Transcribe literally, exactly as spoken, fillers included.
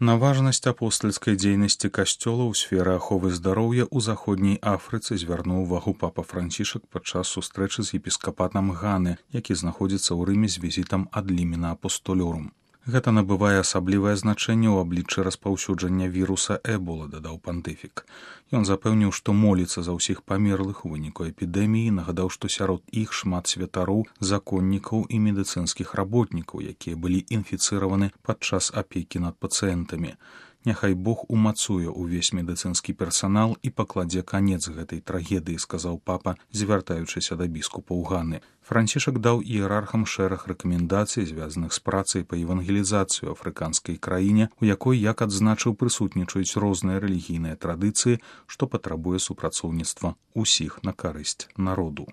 На важнасць апостальскай дзейнасці касцёла ў сферы аховы здароўя ў заходняй Афрыцы звярнуў увагу папа Францішак падчас сустрэчы з епіскапатам Ганы, які знаходзіцца ў Рыме з візітам ад Лімена Апостолёрум. Гэта набывае асаблівае значэнне ў абліччы распаўсюджання віруса Эбола, дадаў пантыфік. Ён запэўніў, што моліцца за ўсіх памерлых у выніку эпідэміі, нагадаў, што сярод іх шмат святароў, законнікаў і медыцынскіх работнікаў, якія былі інфіцыраваны падчас апекі над пацыентамі. Няхай Бог умацуе ўвесь медыцынскі персанал і пакладзе канец гэтай трагедыі, сказаў папа, звяртаючыся да біскупаў Ганы. Францішак даў іерархам шэраг рэкамендацый, звязаных з працай па евангелізацыю афрыканскай краіне, у якой, як адзначыў, прысутнічаюць розныя рэлігійныя традыцыі, што патрабуе супрацоўніцтва ўсіх на карысць народу.